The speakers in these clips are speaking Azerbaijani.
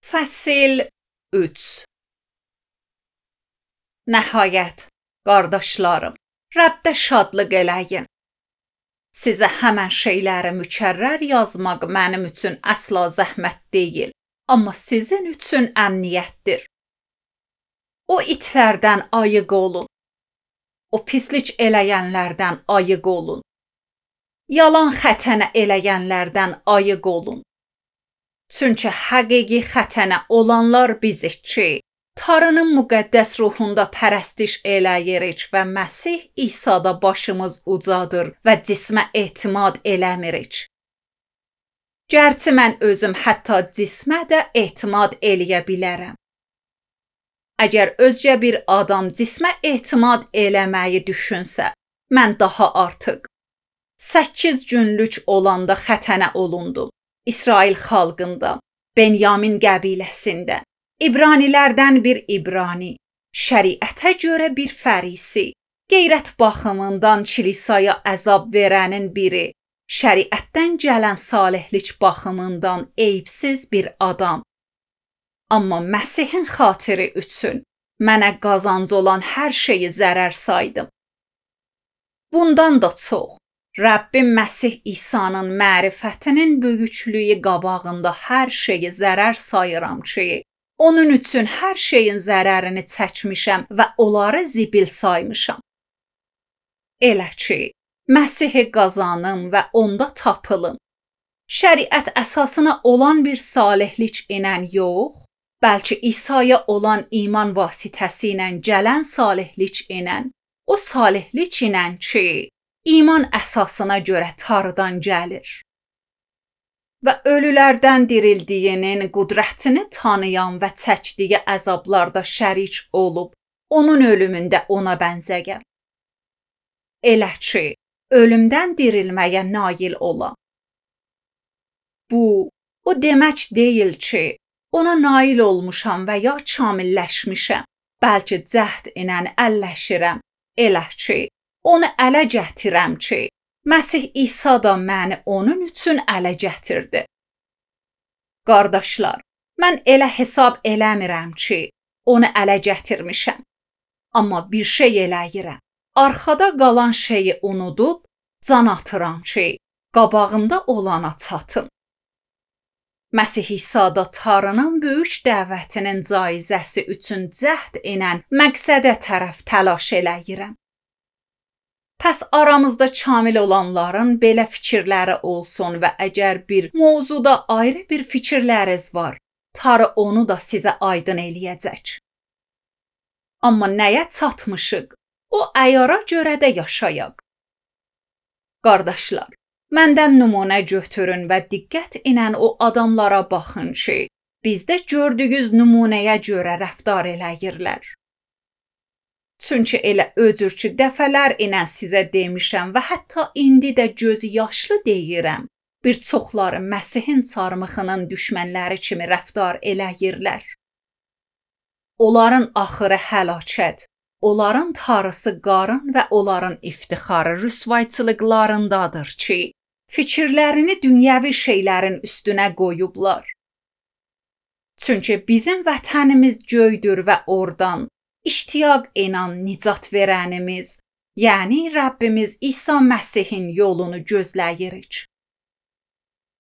Fəsil 3. Nəhayət, qardaşlarım, Rəbdə şadlıq eləyin. Sizə həmən şeyləri mükərrər yazmaq mənim üçün əsla zəhmət deyil, amma sizin üçün əmniyyətdir. O itlərdən ayıq olun. O pislik eləyənlərdən ayıq olun. Yalan xətənə eləyənlərdən ayıq olun. Çünki həqiqi xətənə olanlar bizik ki, Tanrının müqəddəs ruhunda pərəstiş eləyirik və Məsih İsa'da başımız ucadır və cismə etimad eləmirik. Gərçi mən özüm hətta cismə də etimad eləyə bilərəm. Əgər özcə bir adam cismə etimad eləməyi düşünsə, mən daha artıq 8 günlük olanda xətənə olundum. İsrail xalqında, Benyamin qəbiləsində, İbranilərdən bir İbrani, şəriətə görə bir fərisi, qeyrət baxımından kilisaya əzab verənin biri, şəriətdən gələn salihlik baxımından eyibsiz bir adam. Amma Məsihin xatiri üçün mənə qazancı olan hər şeyi zərər saydım. Bundan da çox, Rəbbim Məsih İsa'nın mərifətinin böyüklüyü qabağında hər şeyi zərər sayıram ki, onun üçün hər şeyin zərərini çəkmişəm və onları zibil saymışam. Elə ki, Məsihi qazanım və onda tapılım. Şəriət əsasına olan bir salihlik ilə yox, bəlkə İsa'ya olan iman vasitəsilə gələn salihlik ilə, o salihlik ilə ki, iman əsasına görə Tanrıdan gəlir. Və ölülərdən dirildiyinin qüdrətini tanıyan və çəkdiyi əzablarda şərik olub, onun ölümündə ona bənzəyəm. Elə ki, ölümdən dirilməyə nail ola. Bu, o demək deyil ki, ona nail olmuşam və ya kamilləşmişəm, bəlkə cəhd ilə əlləşirəm, elə ki, onu ələ gətirəm ki, Məsih İsa da məni onun üçün ələ gətirdi. Qardaşlar, mən elə hesab eləmirəm ki, onu ələ gətirmişəm. Amma bir şey eləyirəm. Arxada qalan şeyi unudub, can atıram ki, qabağımda olana çatım. Məsih İsa'da Tanrının böyük dəvətinin caizəsi üçün cəhd ilə məqsədə tərəf təlaş eləyirəm. Pəs aramızda kamil olanların belə fikirləri olsun və əgər bir mövzuda ayrı bir fikirləriniz var, Tanrı onu da sizə aydın eləyəcək. Amma nəyə çatmışıq? O əyara görə də yaşayaq. Qardaşlar, məndən nümunə götürün və diqqət ilə o adamlara baxın ki, bizdə gördüyünüz nümunəyə görə rəftar eləyirlər. Çünki elə öcür ki, dəfələr ilə sizə demişəm və hətta indi də göz yaşlı deyirəm. Bir çoxları Məsihin çarmıxının düşmənləri kimi rəftar eləyirlər. Onların axırı həlakət, onların tarısı qarın və onların iftixarı rüsvayçılıqlarındadır ki, fikirlərini dünyəvi şeylərin üstünə qoyublar. Çünki bizim vətənimiz göydür və oradan İştiyaq inan nicat verənimiz, yəni Rəbbimiz İsa Məsihin yolunu gözləyirik.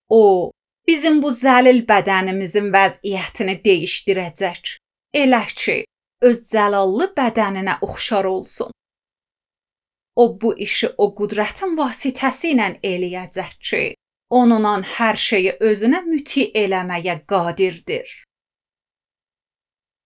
O, bizim bu zəlil bədənimizin vəziyyətini dəyişdirəcək. Elə ki, öz cəlallı bədəninə oxşar olsun. O, bu işi o qüdrətin vasitəsi ilə eləyəcək ki, onunla hər şeyi özünə müti eləməyə qadirdir.